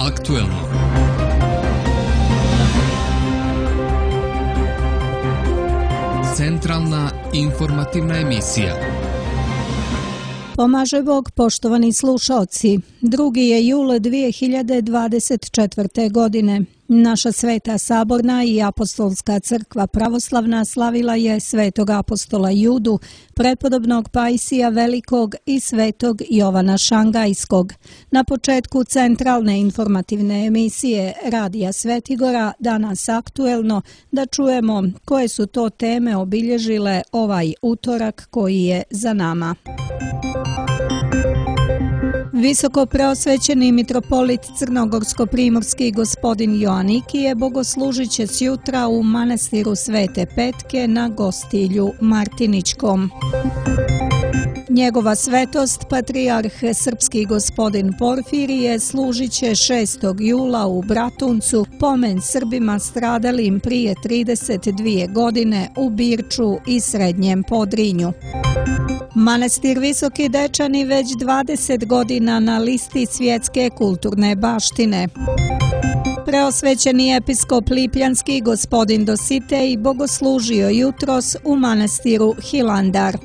aktuelno. Centralna informativna emisija. Pomaže Bog, poštovani slušaoci. 2. je jul 2024. godine. Naša Sveta Saborna i Apostolska crkva pravoslavna slavila je Svetog apostola Judu, prepodobnog Pajsija Velikog i Svetog Jovana Šangajskog. Na početku centralne informativne emisije Radija Svetigora, danas aktuelno, da čujemo koje su to teme obilježile ovaj utorak koji je za nama. Visoko preosvećeni mitropolit crnogorsko-primorski gospodin Joanikije bogoslužit će sjutra u manastiru Svete Petke na Gostilju Martiničkom. Njegova svetost, patrijarh srpski gospodin Porfirije, služit će 6. jula u Bratuncu pomen Srbima stradalim prije 32 godine u Birču i Srednjem Podrinju. Manastir Visoki Dečani već 20 godina na listi svjetske kulturne baštine. Preosvećeni episkop Lipljanski gospodin Dositej bogoslužio jutros u manastiru Hilandar.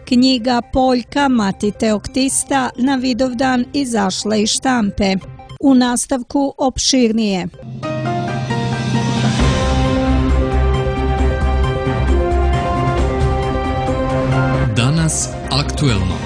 Knjiga Poljka Mati Teoktista na Vidovdan izašla iz štampe. U nastavku opširnije. Danas aktuelno.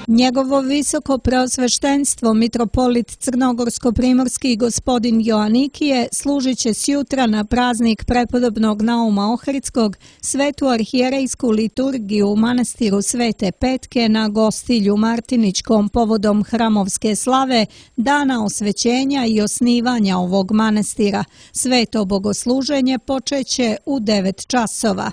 Njegovo visoko preosveštenstvo mitropolit crnogorsko-primorski gospodin Joanikije služit će sjutra na praznik prepodobnog Nauma Ohridskog svetu arhijerejsku liturgiju u manastiru Svete Petke na Gostilju Martiničkom povodom hramovske slave, dana osvećenja i osnivanja ovog manastira. Sveto bogosluženje počeće u 9 časova.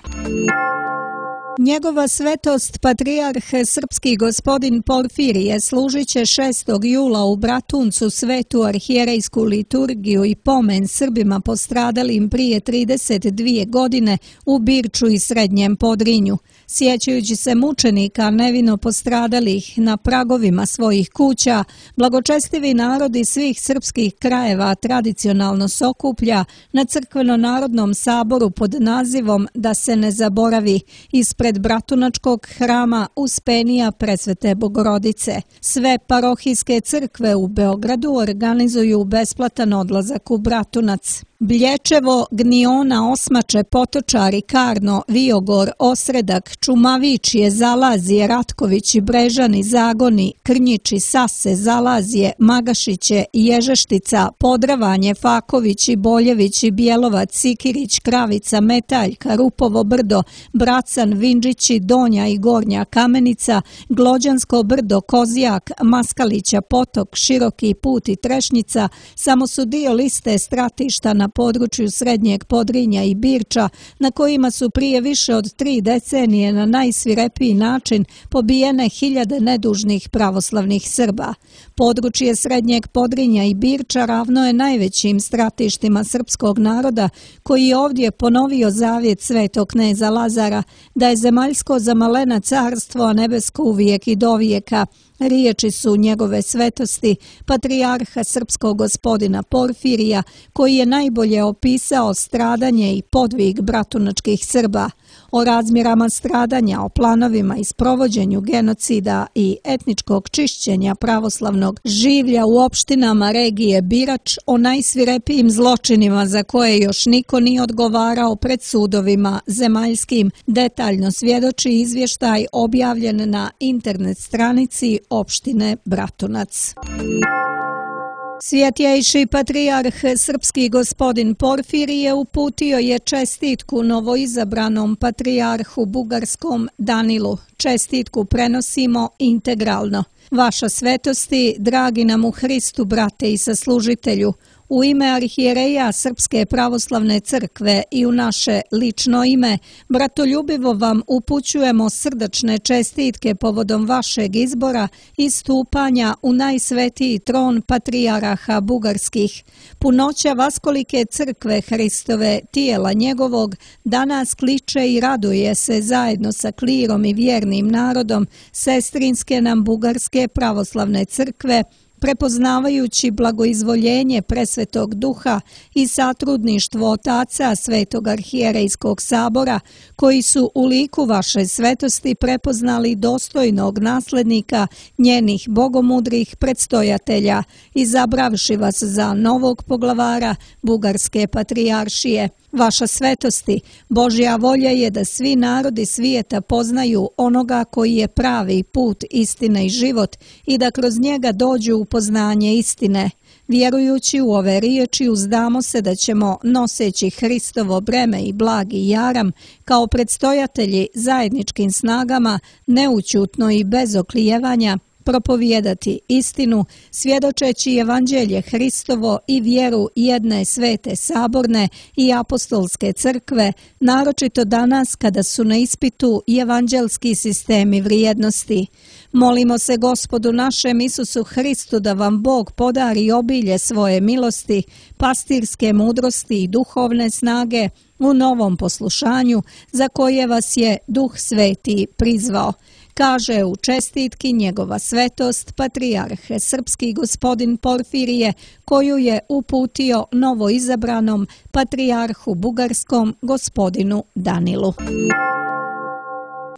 Njegova svetost, patrijarh srpski gospodin Porfirije, služit će 6. jula u Bratuncu svetu arhijerejsku liturgiju i pomen Srbima postradalim prije 32 godine u Birču i Srednjem Podrinju. Sjećajući se mučenika nevino postradalih na pragovima svojih kuća, blagočestivi narodi svih srpskih krajeva tradicionalno se okuplja na crkveno-narodnom saboru pod nazivom Da se ne zaboravi ispred Bratunačkog hrama Uspenija Presvete Bogorodice. Sve parohijske crkve u Beogradu organizuju besplatan odlazak u Bratunac. Blječevo, Gniona, Osmače, Potočari, Karno, Viogor, Osredak, Čumavičje, Zalazije, Ratkovići, Brežani, Zagoni, Krnjiči, Sase, Zalazije, Magašiće, Ježeštica, Podravanje, Fakovići, Boljevići, Bjelovac, Sikirić, Kravica, Metaljka, Rupovo brdo, Bracan, Vinđići, Donja i Gornja Kamenica, Glođansko brdo, Kozijak, Maskalića, Potok, Široki put i Trešnjica samo su dio liste stratišta na području Srednjeg Podrinja i Birča, na kojima su prije više od 3 decenije na najsvirepiji način pobijene hiljade nedužnih pravoslavnih Srba. Područje Srednjeg Podrinja i Birča ravno je najvećim stratištima srpskog naroda, koji je ovdje ponovio zavjet svetog kneza Lazara da je zemaljsko za malena carstvo, a nebesko uvijek i dovijeka. Riječi su njegove svetosti, patrijarha srpskog gospodina Porfirija, koji je najbolje opisao stradanje i podvig bratunačkih Srba. O razmjerama stradanja, o planovima i sprovođenju genocida i etničkog čišćenja pravoslavnog življa u opštinama regije Birač, o najsvirepijim zločinima za koje još niko nije odgovarao pred sudovima zemaljskim, detaljno svjedoči izvještaj objavljen na internet stranici opštine Bratunac. Svjetjejši patrijarh srpski gospodin Porfirije uputio je čestitku novoizabranom patrijarhu bugarskom Danilu. Čestitku prenosimo integralno. Vaša svetosti, dragi nam u Hristu, brate i saslužitelju, u ime arhijereja Srpske pravoslavne crkve i u naše lično ime, bratoljubivo vam upućujemo srdačne čestitke povodom vašeg izbora i stupanja u najsvetiji tron patrijaraha bugarskih. Punoća vaskolike crkve Hristove, tijela njegovog, danas kliče i raduje se zajedno sa klirom i vjernim narodom sestrinske nam bugarske pravoslavne crkve prepoznavajući blagoizvoljenje presvetog duha i satrudništvo otaca Svetog arhijerejskog sabora, koji su u liku vaše svetosti prepoznali dostojnog naslednika njenih bogomudrih predstojatelja, izabravši vas za novog poglavara Bugarske patrijaršije. Vaša svetosti, Božja volja je da svi narodi svijeta poznaju onoga koji je pravi put, istina i život i da kroz njega dođu u poznanje istine. Vjerujući u ove riječi uzdamo se da ćemo, noseći Hristovo breme i blagi jaram, kao predstojatelji zajedničkim snagama, neućutno i bez oklijevanja, propovijedati istinu, svjedočeći evanđelje Hristovo i vjeru jedne svete saborne i apostolske crkve, naročito danas kada su na ispitu i evanđelski sistemi vrijednosti. Molimo se Gospodu našem Isusu Hristu da vam Bog podari obilje svoje milosti, pastirske mudrosti i duhovne snage u novom poslušanju za koje vas je Duh Sveti prizvao. Kaže u čestitki njegova svetost patrijarh srpski gospodin Porfirije, koju je uputio novoizabranom patrijarhu bugarskom gospodinu Danilu.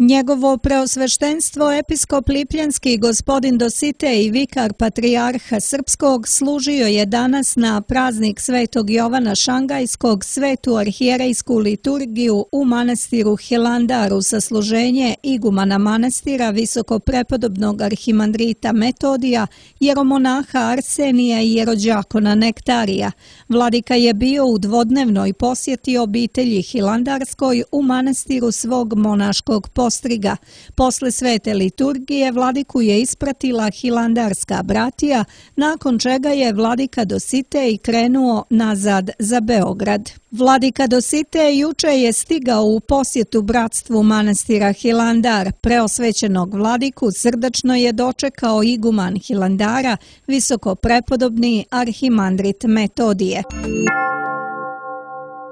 Njegovo preosveštenstvo episkop Lipljanski gospodin Dositej, vikar patrijarha srpskog, služio je danas na praznik Svetog Jovana Šangajskog svetu arhijerejsku liturgiju u manastiru Hilandaru sa služenje igumana manastira visokoprepodobnog arhimandrita Metodija, jeromonaha Arsenija i jerođakona Nektarija. Vladika je bio u dvodnevnoj posjeti obitelji Hilandarskoj u manastiru svog monaškog postriga. Posle svete liturgije vladiku je ispratila hilandarska bratija, nakon čega je vladika Dositej krenuo nazad za Beograd. Vladika Dositej juče je stigao u posjetu bratstvu manastira Hilandar. Preosvećenog vladiku srdačno je dočekao iguman Hilandara, visokoprepodobni arhimandrit Metodije.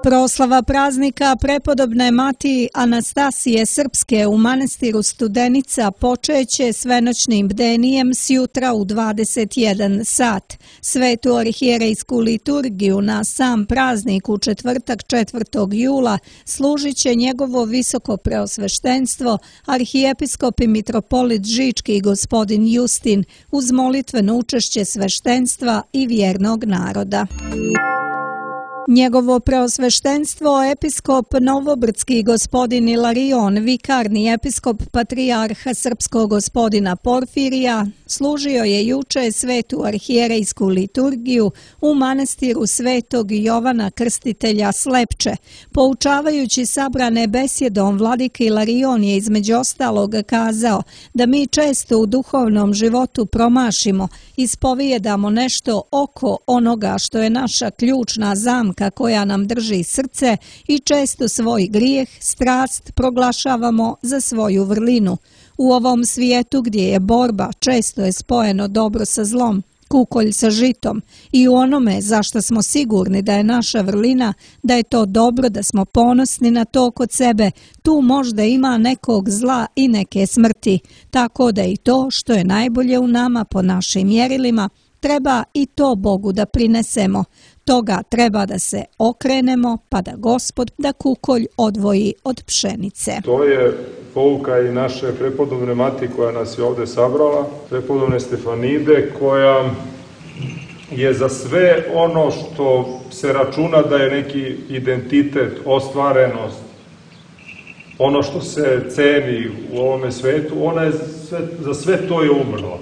Proslava praznika prepodobne mati Anastasije Srpske u manastiru Studenica počeće svenoćnim bdenijem sjutra u 21 sat. Svetu arhijerejsku liturgiju na sam praznik u četvrtak 4. jula služit će njegovo visoko preosveštenstvo arhijepiskop i mitropolit Žički gospodin Justin uz molitveno učešće sveštenstva i vjernog naroda. Njegovo preosveštenstvo episkop Novobrdski gospodin Ilarion, vikarni episkop patrijarha srpskog gospodina Porfirija, služio je juče svetu arhijerejsku liturgiju u manastiru Svetog Jovana Krstitelja Slepče. Poučavajući sabrane besjedom, vladika Ilarion je između ostalog kazao da mi često u duhovnom životu promašimo, ispovijedamo nešto oko onoga što je naša ključna zamka koja nam drži srce i često svoj grijeh, strast proglašavamo za svoju vrlinu. U ovom svijetu gdje je borba, često je spojeno dobro sa zlom, kukolj sa žitom i u onome zašto smo sigurni da je naša vrlina, da je to dobro, da smo ponosni na to kod sebe, tu možda ima nekog zla i neke smrti, tako da i to što je najbolje u nama po našim mjerilima, treba i to Bogu da prinesemo. Toga treba da se okrenemo, pa da Gospod da kukolj odvoji od pšenice. To je pouka i naše prepodobne mati koja nas je ovdje sabrala, prepodobne Stefanide, koja je za sve ono što se računa da je neki identitet, ostvarenost, ono što se ceni u ovome svetu, ona je za sve to je umrla.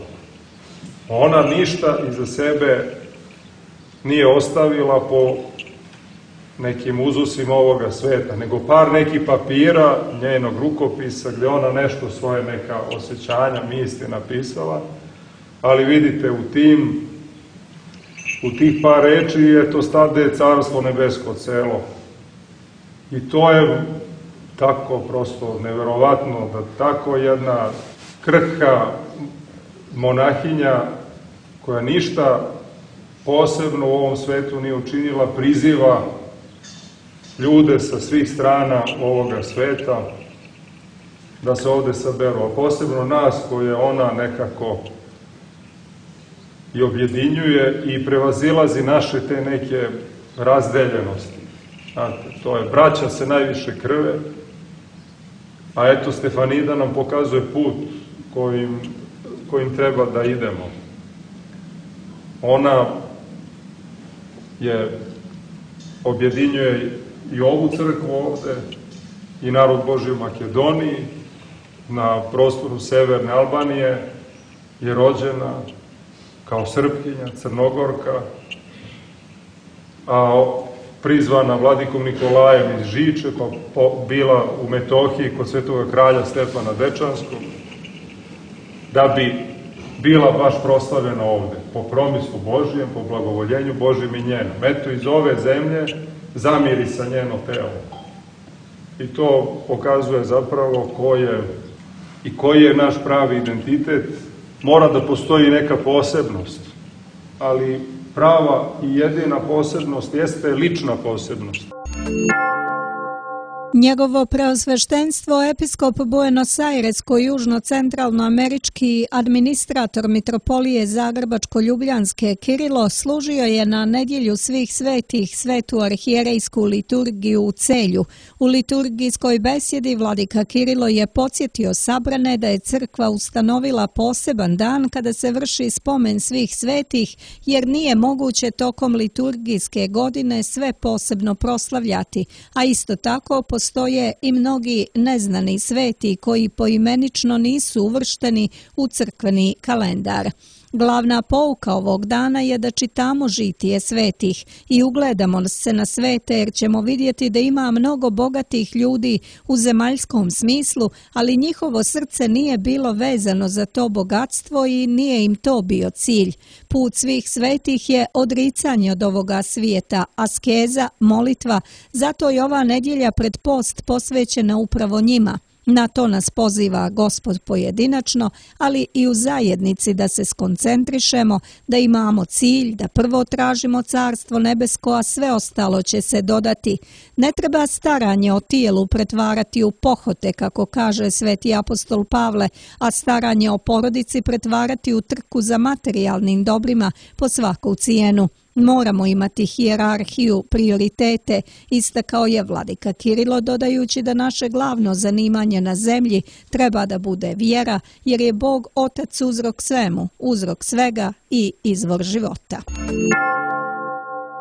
Ona ništa iza sebe nije ostavila po nekim uzusima ovoga sveta, nego par nekih papira njenog rukopisa gdje ona nešto svoje neka osjećanja, misli napisala, ali vidite u tih par reči je to stade carstvo nebesko celo. I to je tako prosto neverovatno da tako jedna krhka monahinja koja ništa posebno u ovom svetu nije učinila, priziva ljude sa svih strana ovoga sveta da se ovde saberu, a posebno nas koje ona nekako i objedinjuje i prevazilazi naše te neke razdeljenosti. Znate, to je, braća se najviše krve, a eto Stefanida nam pokazuje put kojim treba da idemo. Ona objedinjuje i ovu crkvu ovde, i narod Božji u Makedoniji, na prostoru severne Albanije je rođena kao Srpkinja, Crnogorka, a prizvana vladikom Nikolajem iz Žiče, pa bila u Metohiji kod svetoga kralja Stefana Dečanskog, da bi bila baš proslavljena ovde, po promislu Božijem, po blagovoljenju Božijem i njenom. Eto, iz ove zemlje zamiri sa njeno telo. I to pokazuje zapravo koji je naš pravi identitet. Mora da postoji neka posebnost, ali prava i jedina posebnost jeste lična posebnost. Njegovo preosveštenstvo episkop Buenos Aires-južno-centralnoamerički administrator mitropolije Zagrebačko-Ljubljanske Kirilo služio je na nedjelju svih svetih svetu arhijerejsku liturgiju u Celju. U liturgijskoj besjedi vladika Kirilo je podsjetio sabrane da je crkva ustanovila poseban dan kada se vrši spomen svih svetih, jer nije moguće tokom liturgijske godine sve posebno proslavljati, a isto tako postoje i mnogi neznani sveti koji poimenično nisu uvršteni u crkveni kalendar. Glavna pouka ovog dana je da čitamo žitije svetih i ugledamo se na svete, jer ćemo vidjeti da ima mnogo bogatih ljudi u zemaljskom smislu, ali njihovo srce nije bilo vezano za to bogatstvo i nije im to bio cilj. Put svih svetih je odricanje od ovoga svijeta, askeza, molitva, zato je ova nedjelja pred post posvećena upravo njima. Na to nas poziva Gospod pojedinačno, ali i u zajednici da se skoncentrišemo, da imamo cilj, da prvo tražimo carstvo nebesko, a sve ostalo će se dodati. Ne treba staranje o tijelu pretvarati u pohote, kako kaže sveti apostol Pavle, a staranje o porodici pretvarati u trku za materijalnim dobrima po svaku cijenu. Moramo imati hijerarhiju, prioritete, istakao je vladika Kirilo, dodajući da naše glavno zanimanje na zemlji treba da bude vjera, jer je Bog Otac uzrok svemu, uzrok svega i izvor života.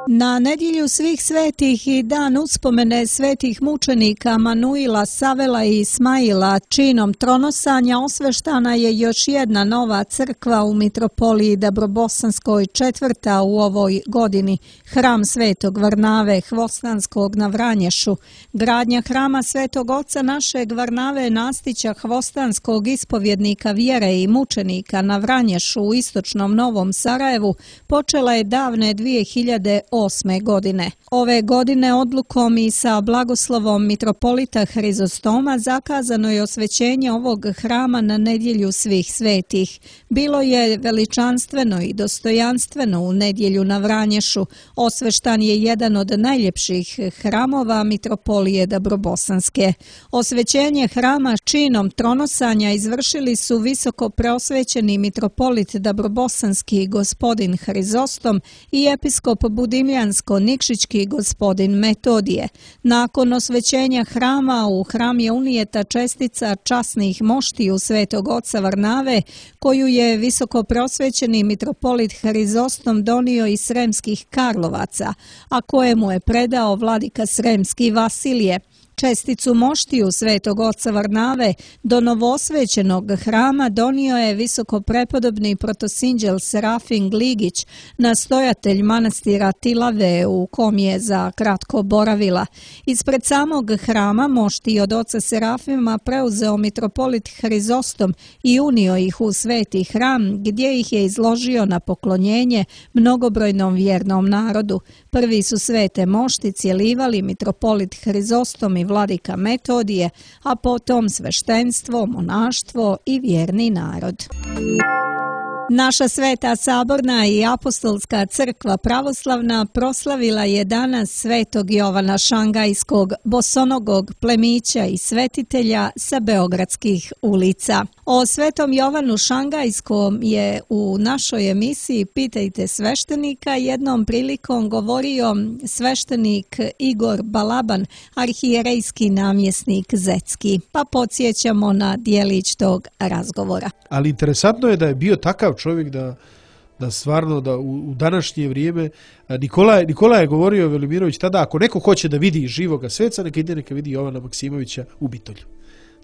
Na nedjelju svih svetih i dan uspomene svetih mučenika Manuila, Savela i Ismaila činom tronosanja osveštana je još jedna nova crkva u mitropoliji Dabrobosanskoj, četvrta u ovoj godini, hram Svetog Varnave Hvostanskog na Vranješu. Gradnja hrama Svetog Oca našeg Varnave Nastića Hvostanskog, ispovjednika vjere i mučenika na Vranješu u istočnom Novom Sarajevu, počela je davne 2008. godine. Ove godine odlukom i sa blagoslovom mitropolita Hrizostoma zakazano je osvećenje ovog hrama na nedjelju svih svetih. Bilo je veličanstveno i dostojanstveno u nedjelju na Vranješu. Osveštan je jedan od najljepših hramova mitropolije Dabrobosanske. Osvećenje hrama činom tronosanja izvršili su visoko preosvećeni mitropolit Dabrobosanski gospodin Hrizostom i episkop Budimljansko-Nikšićki gospodin Metodije. Nakon osvećenja hrama u hram je unijeta čestica časnih moštiju Svetog Oca Varnave, koju je visoko preosvećeni mitropolit Hrizostom donio iz Sremskih Karlovaca, a kojemu je predao vladika Sremski Vasilije. Česticu moštiju Svetog Oca Varnave do novoosvećenog hrama donio je visoko prepodobni protosinđel Serafin Gligić, nastojatelj manastira Tilave, u kom je za kratko boravila. Ispred samog hrama moštij od oca Serafima preuzeo mitropolit Hrizostom i unio ih u sveti hram, gdje ih je izložio na poklonjenje mnogobrojnom vjernom narodu. Prvi su svete mošti cjelivali mitropolit Hrizostom i vladika Metodije, a potom sveštenstvo, monaštvo i vjerni narod. Naša Sveta Saborna i Apostolska crkva pravoslavna proslavila je danas Svetog Jovana Šangajskog, bosonogog plemića i svetitelja sa beogradskih ulica. O Svetom Jovanu Šangajskom je u našoj emisiji Pitajte sveštenika jednom prilikom govorio sveštenik Igor Balaban, arhijerejski namjesnik Zetski. Pa podsjećamo na dijelić tog razgovora. Ali interesantno je da je bio takav čovjek da stvarno da u današnje vrijeme Nikola je govorio Velimirović tada, ako neko hoće da vidi živoga sveca, neka vidi Jovana Maksimovića u Bitolju.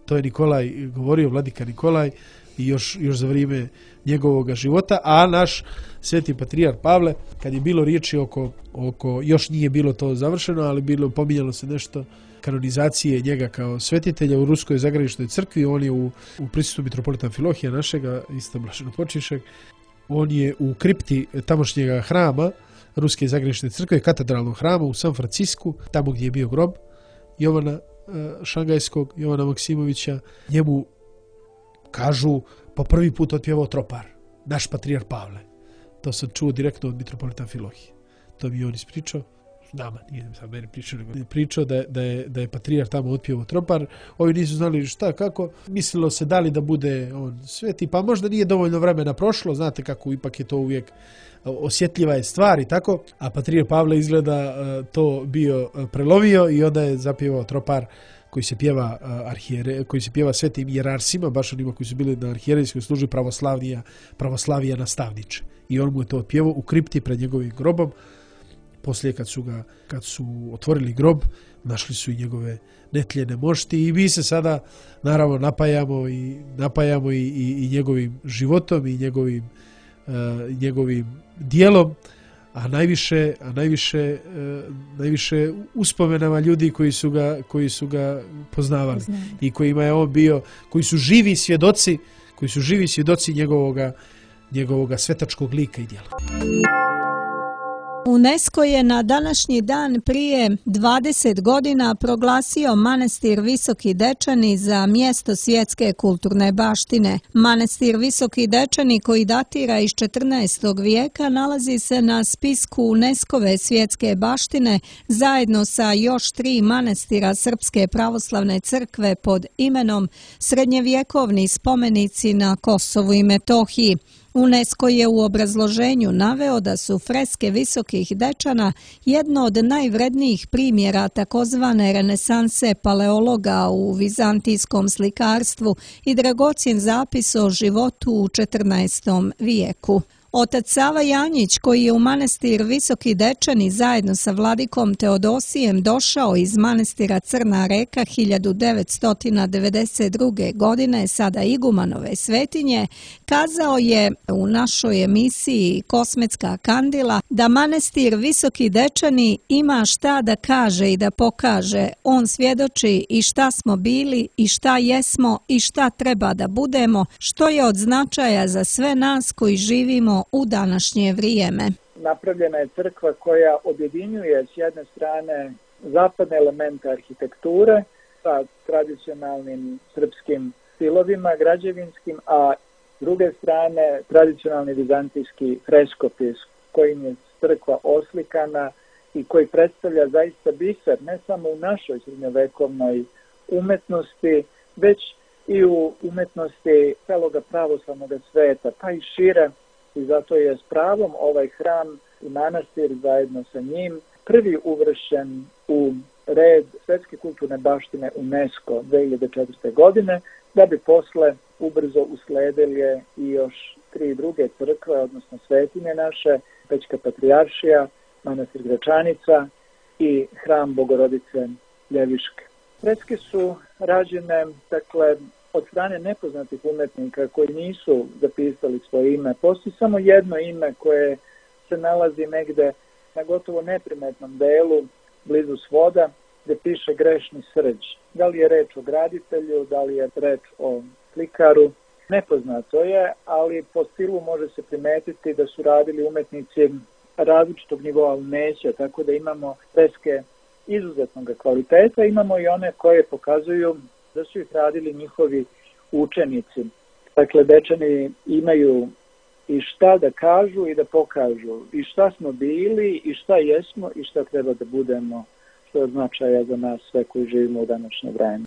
To je Nikolaj govorio, vladika Nikolaj, i još za vrijeme njegovog života, a naš sveti patrijarh Pavle, kad je bilo riječi oko još nije bilo to završeno, ali pominjalo se nešto kanonizacije njega kao svetitelja u Ruskoj zagraničnoj crkvi. On je u prisustvu mitropolita Amfilohija našega, isto blaženopočivšeg, on je u kripti tamošnjega hrama Ruske zagranične crkve, katedralnog hrama u San Francisku, tamo gdje je bio grob Jovana Šangajskog, Jovana Maksimovića. Njemu, kažu, po prvi put otpjevao tropar naš patrijarh Pavle. To sam čuo direktno od mitropolita Amfilohije. To mi je on ispričao. Nama, nije sam meni pričao, nego je pričao da je patrijarh tamo otpjevao tropar. Ovi nisu znali šta, kako. Mislilo se da li da bude on sveti, pa možda nije dovoljno vremena prošlo, znate kako ipak je to uvijek osjetljiva je stvar i tako. A patrijarh Pavle izgleda to bio prelomio i onda je zapjevao tropar koji se pjeva koji se pjeva svetim jerarsima, baš onima koji su bili na arhijerejskoj službi pravoslavija nastavniče. I on mu je to otpjevao u kripti pred njegovim grobom. Poslije kad su otvorili grob, našli su i njegove netljene mošti i mi se sada naravno napajamo i njegovim životom i njegovim dijelom, a najviše uspomenama ljudi koji su ga poznavali i kojima je on bio, koji su živi svjedoci njegovoga svetačkog lika i djela. UNESCO je na današnji dan prije 20 godina proglasio manastir Visoki Dečani za mjesto svjetske kulturne baštine. Manastir Visoki Dečani, koji datira iz 14. vijeka, nalazi se na spisku UNESCO-ve svjetske baštine zajedno sa još 3 manastira Srpske pravoslavne crkve pod imenom Srednjevjekovni spomenici na Kosovu i Metohiji. UNESCO je u obrazloženju naveo da su freske Visokih Dečana jedno od najvrednijih primjera takozvane renesanse paleologa u vizantijskom slikarstvu i dragocjen zapis o životu u 14. vijeku. Otac Sava Janjić, koji je u manastir Visoki Dečani zajedno sa vladikom Teodosijem došao iz manastira Crna Reka 1992. godine, sada igumanove svetinje, kazao je u našoj emisiji Kosmetska kandila da manastir Visoki Dečani ima šta da kaže i da pokaže. On svjedoči i šta smo bili i šta jesmo i šta treba da budemo, što je od značaja za sve nas koji živimo u današnje vrijeme. Napravljena je crkva koja objedinjuje s jedne strane zapadne elemente arhitekture sa tradicionalnim srpskim stilovima građevinskim, a s druge strane tradicionalni vizantijski freskopis kojim je crkva oslikana i koji predstavlja zaista biser ne samo u našoj srednjovekovnoj umetnosti, već i u umetnosti celoga pravoslavnog sveta, pa i šire. I zato je s pravom ovaj hram i manastir zajedno sa njim prvi uvršen u red svjetske kulturne baštine UNESCO 2004. godine, da bi posle ubrzo usledili i još 3 druge crkve, odnosno svetinje naše, Pećka patrijaršija, manastir Gračanica i hram Bogorodice Ljeviške. Freske su rađene, od strane nepoznatih umetnika koji nisu zapisali svoje ime. Postoji samo jedno ime koje se nalazi negde na gotovo neprimetnom delu, blizu svoda, gdje piše Grešni srđ. Da li je reč o graditelju, da li je reč o slikaru, nepoznato je, ali po stilu može se primetiti da su radili umetnici različitog nivoa umeća, tako da imamo freske izuzetnog kvaliteta, imamo i one koje pokazuju da su ih radili njihovi učenici. Dakle, Dečani imaju i šta da kažu i da pokažu, i šta smo bili, i šta jesmo, i šta treba da budemo, što je značaja za nas sve koji živimo u današnje vreme.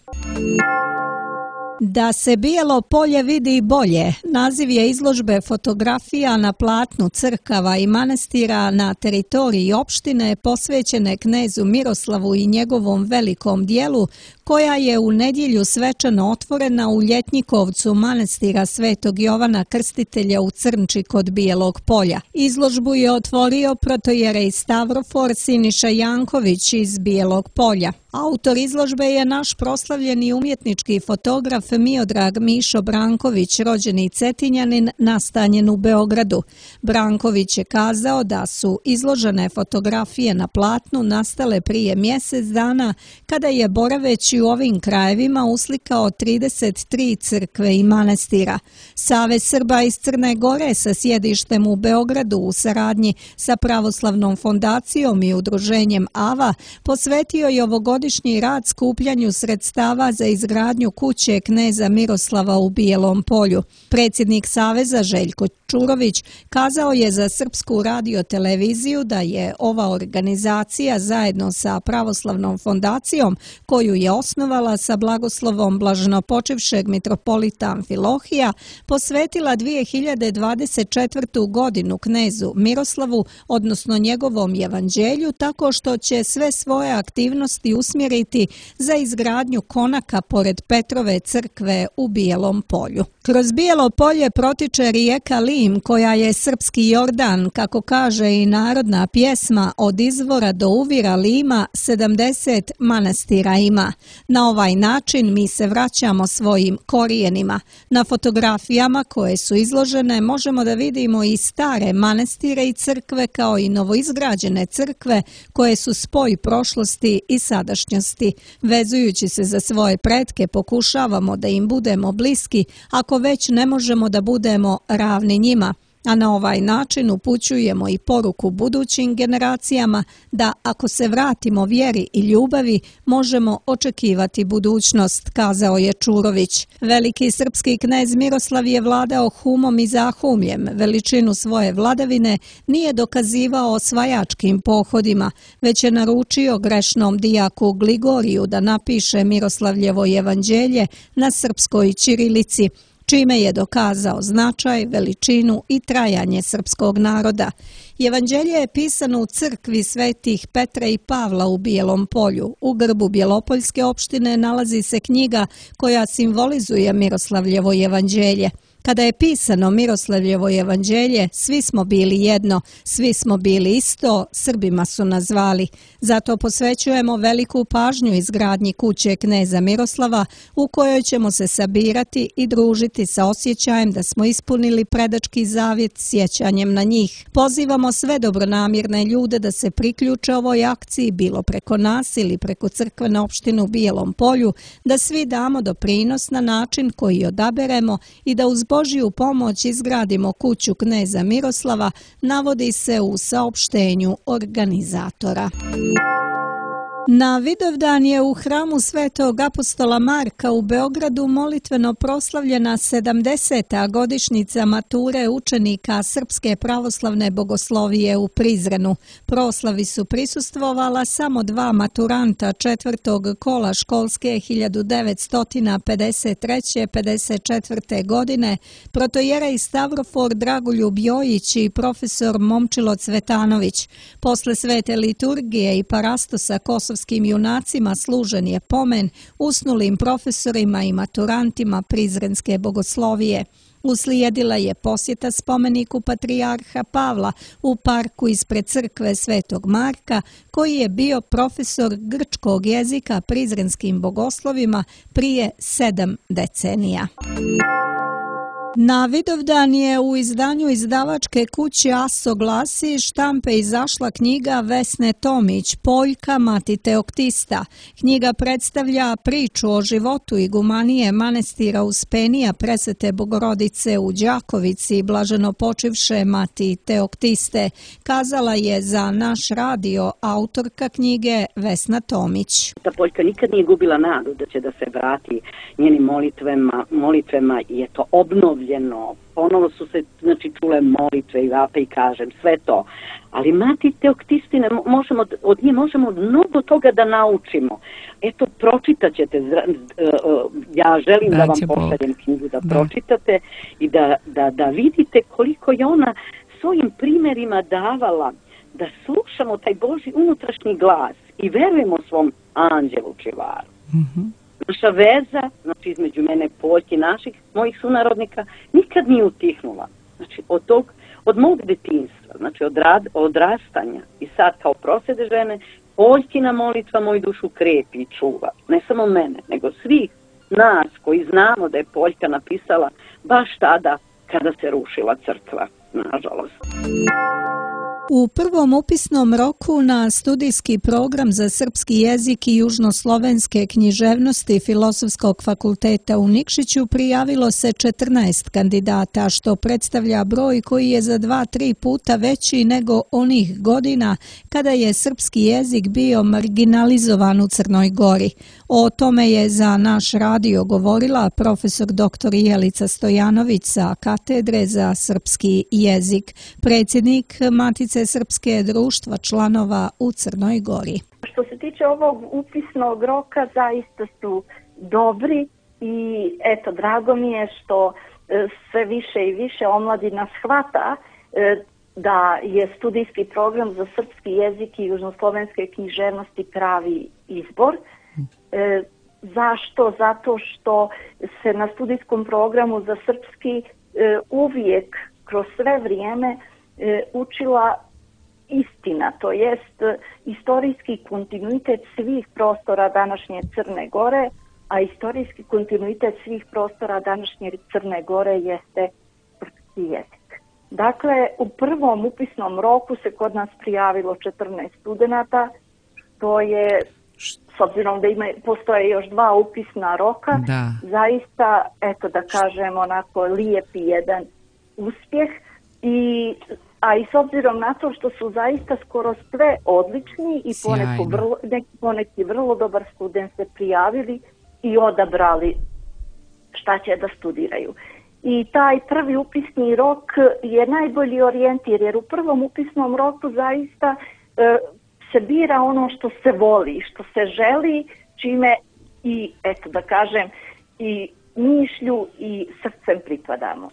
Da se Bijelo polje vidi bolje, naziv je izložbe fotografija na platnu crkava i manastira na teritoriji opštine posvećene knezu Miroslavu i njegovom velikom dijelu, koja je u nedjelju svečano otvorena u Ljetnikovcu manastira Svetog Jovana Krstitelja u Crnči kod Bijelog polja. Izložbu je otvorio protojerej Stavrofor Siniša Janković iz Bijelog polja. Autor izložbe je naš proslavljeni umjetnički fotograf Miodrag Mišo Branković, rođeni Cetinjanin, nastanjen u Beogradu. Branković je kazao da su izložene fotografije na platnu nastale prije mjesec dana, kada je boraveći u ovim krajevima uslikao 33 crkve i manastira. Savez Srba iz Crne Gore sa sjedištem u Beogradu u saradnji sa Pravoslavnom fondacijom i udruženjem AVA posvetio je ovogodišnji rad skupljanju sredstava za izgradnju kuće kneza Miroslava u Bijelom polju. Predsjednik Saveza Željko Čurović kazao je za Srpsku radioteleviziju da je ova organizacija zajedno sa Pravoslavnom fondacijom, koju je osnovala sa blagoslovom blaženopočivšeg mitropolita Amfilohija, posvetila 2024. godinu knezu Miroslavu, odnosno njegovom evanđelju, tako što će sve svoje aktivnosti usmjeriti za izgradnju konaka pored Petrove crkve u Bijelom polju. Kroz Bijelo polje protiče rijeka Lim, koja je srpski Jordan, kako kaže i narodna pjesma, od izvora do uvira Lima 70 manastira ima. Na ovaj način mi se vraćamo svojim korijenima. Na fotografijama koje su izložene možemo da vidimo i stare manastire i crkve kao i novoizgrađene crkve koje su spoj prošlosti i sadašnjosti. Vezujući se za svoje pretke pokušavamo da im budemo bliski, ako već ne možemo da budemo ravni njima. A na ovaj način upućujemo i poruku budućim generacijama da ako se vratimo vjeri i ljubavi, možemo očekivati budućnost, kazao je Čurović. Veliki srpski knez Miroslav je vladao humom i zahumljem. Veličinu svoje vladavine nije dokazivao osvajačkim pohodima, već je naručio grešnom dijaku Gligoriju da napiše Miroslavljevo evanđelje na srpskoj ćirilici, čime je dokazao značaj, veličinu i trajanje srpskog naroda. Evanđelje je pisano u crkvi svetih Petra i Pavla u Bijelom polju. U grbu Bjelopoljske opštine nalazi se knjiga koja simbolizuje Miroslavljevo evanđelje. Kada je pisano Miroslavljevo evanđelje, svi smo bili jedno, svi smo bili isto, Srbima su nas zvali. Zato posvećujemo veliku pažnju izgradnji kuće kneza Miroslava, u kojoj ćemo se sabirati i družiti sa osjećajem da smo ispunili predački zavjet sjećanjem na njih. Pozivamo sve dobronamjerne ljude da se priključe ovoj akciji, bilo preko nas ili preko crkvene opštine u Bijelom polju, da svi damo doprinos na način koji odaberemo i da uz Božju pomoć izgradimo kuću kneza Miroslava, navodi se u saopštenju organizatora. Na Vidovdan je u hramu Svetog apostola Marka u Beogradu molitveno proslavljena 70. godišnjica mature učenika Srpske pravoslavne bogoslovije u Prizrenu. Proslavi su prisustvovala samo 2 maturanta 4. kola školske 1953-54. godine, protojerej Stavrofor Dragoljub Jojić i profesor Momčilo Cvetanović. Posle svete liturgije i parastosa kosovskim junacima služen je pomen usnulim profesorima i maturantima Prizrenske bogoslovije. Uslijedila je posjeta spomeniku patrijarha Pavla u parku ispred crkve Svetog Marka, koji je bio profesor grčkog jezika prizrenskim bogoslovima prije 7 decenija. Na Vidovdan je u izdanju izdavačke kuće ASO glasi štampe izašla knjiga Vesne Tomić, Poljka, mati Teoktista. Knjiga predstavlja priču o životu igumanije manastira Uspenija Presvete Bogorodice u Đakovici i blaženopočivše mati Teoktiste, kazala je za naš radio autorka knjige Vesna Tomić. Ta Poljka nikad nije gubila nadu da će da se vrati njenim molitvama i je to obnovi obnovljeno, ponovo su se čule molitve i vape i kažem, sve to. Ali mati Teoktistine, od nje možemo mnogo toga da naučimo. Eto, pročitat ćete, ja želim da vam pošaljem knjigu da pročitate i da vidite koliko je ona svojim primjerima davala da slušamo taj Božji unutrašnji glas i verujemo svom anđelu čuvaru. Naša veza, između mene, Poljke, mojih sunarodnika, nikad nije utihnula. Od mog detinjstva, od odrastanja i sad kao prosvete žene, Poljkina molitva moju dušu krepi i čuva. Ne samo mene, nego svih nas koji znamo da je Poljka napisala baš tada kada se rušila crkva, nažalost. U prvom upisnom roku na studijski program za srpski jezik i južnoslovenske književnosti Filozofskog fakulteta u Nikšiću prijavilo se 14 kandidata, što predstavlja broj koji je za 2-3 puta veći nego onih godina kada je srpski jezik bio marginalizovan u Crnoj Gori. O tome je za naš radio govorila profesor dr. Jelica Stojanović sa katedre za srpski jezik, predsjednik Matice Srpske društva članova u Crnoj Gori. Što se tiče ovog upisnog roka, zaista su dobri i eto, drago mi je što sve više i više omladina shvata da je studijski program za srpski jezik i južnoslovenske književnosti pravi izbor. Zašto? Zato što se na studijskom programu za srpski uvijek kroz sve vrijeme učila istina, to jest istorijski kontinuitet svih prostora današnje Crne Gore, a istorijski kontinuitet svih prostora današnje Crne Gore jeste srpski jezik. Dakle, u prvom upisnom roku se kod nas prijavilo 14 studenata, to je, s obzirom da postoje još 2 upisna roka, zaista, eto da kažem, onako lijepi jedan uspjeh, a i s obzirom na to što su zaista skoro sve odlični i poneki vrlo dobar student se prijavili i odabrali šta će da studiraju. I taj prvi upisni rok je najbolji orijentir, jer u prvom upisnom roku zaista se bira ono što se voli, što se želi, čime i, eto da kažem, i mišlju i srcem pripadamo.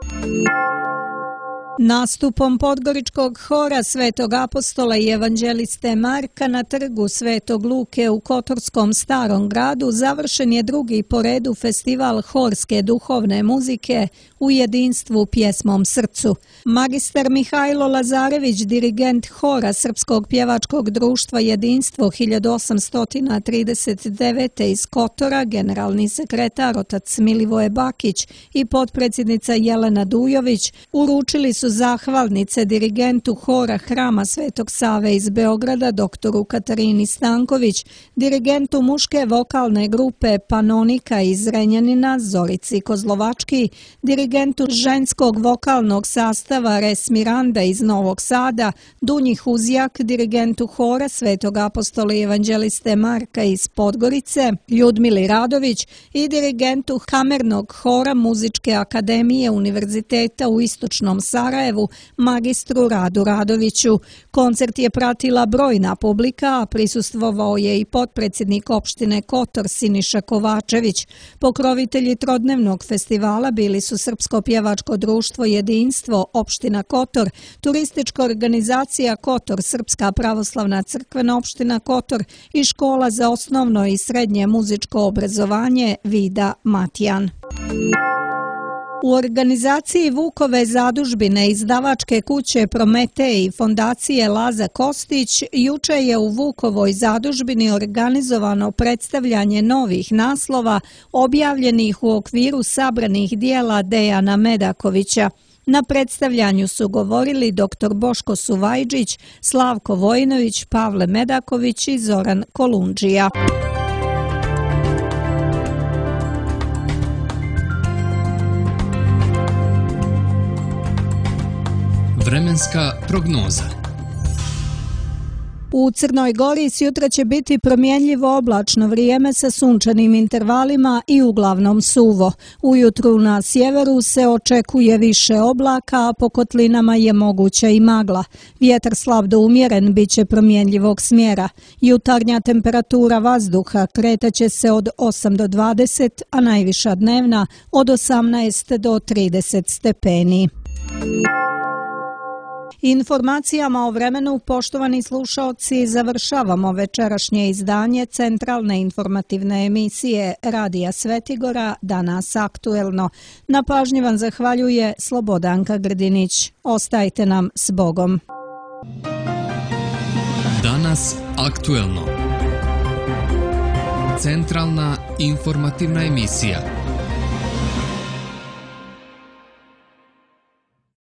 Nastupom Podgoričkog hora Svetog apostola i evanđeliste Marka na trgu Svetog Luke u Kotorskom Starom gradu završen je drugi po redu festival horske duhovne muzike u jedinstvu pjesmom srcu. Magistar Mihajlo Lazarević, dirigent hora Srpskog pjevačkog društva Jedinstvo 1839. iz Kotora, generalni sekretar otac Milivoje Bakić i potpredsjednica Jelena Dujović uručili su zahvalnice dirigentu hora Hrama Svetog Save iz Beograda, doktoru Katarini Stanković, dirigentu muške vokalne grupe Panonika iz Renjanina, Zorici Kozlovački, dirigentu ženskog vokalnog sastava Res Miranda iz Novog Sada, Dunji Huzjak, dirigentu hora Svetog apostola i evanđeliste Marka iz Podgorice, Ljudmili Radović i dirigentu kamernog hora Muzičke akademije Univerziteta u Istočnom Sarajevu, magistru Radu Radoviću. Koncert je pratila brojna publika, a prisustvovao je i potpredsjednik opštine Kotor Siniša Kovačević. Pokrovitelji trodnevnog festivala bili su Srpsko pjevačko društvo Jedinstvo, opština Kotor, turistička organizacija Kotor, Srpska pravoslavna crkvena opština Kotor i škola za osnovno i srednje muzičko obrazovanje Vida Matijan. U organizaciji Vukove zadužbine izdavačke kuće Prometej i fondacije Laza Kostić juče je u Vukovoj zadužbini organizovano predstavljanje novih naslova objavljenih u okviru sabranih dijela Dejana Medakovića. Na predstavljanju su govorili dr. Boško Suvajđić, Slavko Vojinović, Pavle Medaković i Zoran Kolundžija. Vremenska prognoza. U Crnoj Gori sjutra će biti promjenljivo oblačno vrijeme sa sunčanim intervalima i uglavnom suvo. Ujutru na sjeveru se očekuje više oblaka, a po kotlinama je moguća i magla. Vjetar slab do umjeren bit će promjenljivog smjera. Jutarnja temperatura vazduha kretaće se od 8 do 20, a najviša dnevna od 18 do 30 stepeni. Informacijama o vremenu, poštovani slušaoci, završavamo večerašnje izdanje centralne informativne emisije Radija Svetigora, Danas aktuelno. Na pažnji vam zahvaljuje Slobodanka Grdinić. Ostajte nam s Bogom. Danas aktuelno. Centralna informativna emisija.